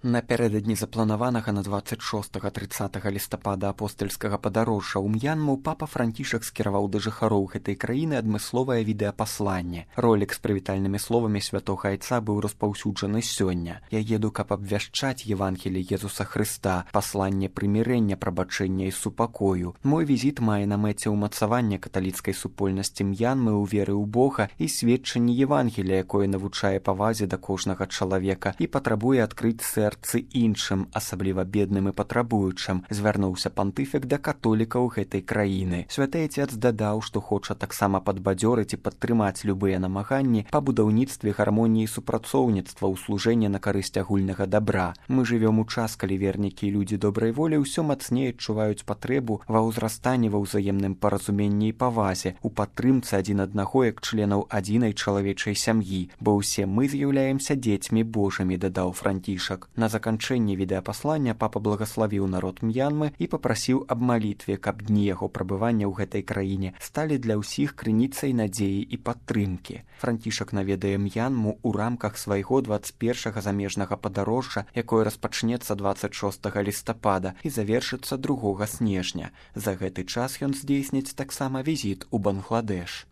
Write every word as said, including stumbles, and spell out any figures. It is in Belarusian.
Напярэдадні запланаванага на дваццаць шостага трыццатага лістапада апостальскага падарожжа ў М'янму папа Францішак скіраваў да жыхароў гэтай краіны адмысловае відэапасланне. Ролік з прывітальнымі словамі святога айца быў распаўсюджаны сёння. Я еду, каб абвяшчаць Евангелие Езуса Хрыста, пасланне прымірэння, прабачэння і супакою. Мой візіт мае на мэце ўмацаванне каталіцкай супольнасці М'янмы ў веры ў Бога і сведчанне Евангелія, якое навучае павазе да кожнага чалавека і патрабуе адкрыць сэрца іншым, асабліва бедным і патрабуючым, звярнуўся пантыфік да католікаў гэтай краіны. Святы Отец дадаў, што хоча таксама падбадзёрыць і падтрымаць любыя намаганні па будаўніцтве гармоніі супрацоўніцтва ў служэнні на карысць агульнага дабра. Мы жывём у час, калі вернікі і людзі добрай волі ўсё мацней адчуваюць патрэбу ва ўзрастанні ва ўзаемным паразуменні і павазе, у падтрымцы адзін аднаго як членаў адзінай чалавечай сям'і, бо ўсе мы з'яўляемся дзецьмі Божымі, дадаў Францішак. На заканчэнні відэапаслання папа благаславіў народ М'янмы і папрасіў аб малітве, каб дні яго прабывання ў гэтай краіне сталі для ўсіх крыніцай надзеі і падтрымкі. Францішак наведае М'янму ў рамках свайго дваццаць першага замежнага падарожжа, якое распачнецца дваццаць шостага лістапада і завершыцца другога снежня. За гэты час ён здзейсніць таксама візіт у Бангладэш.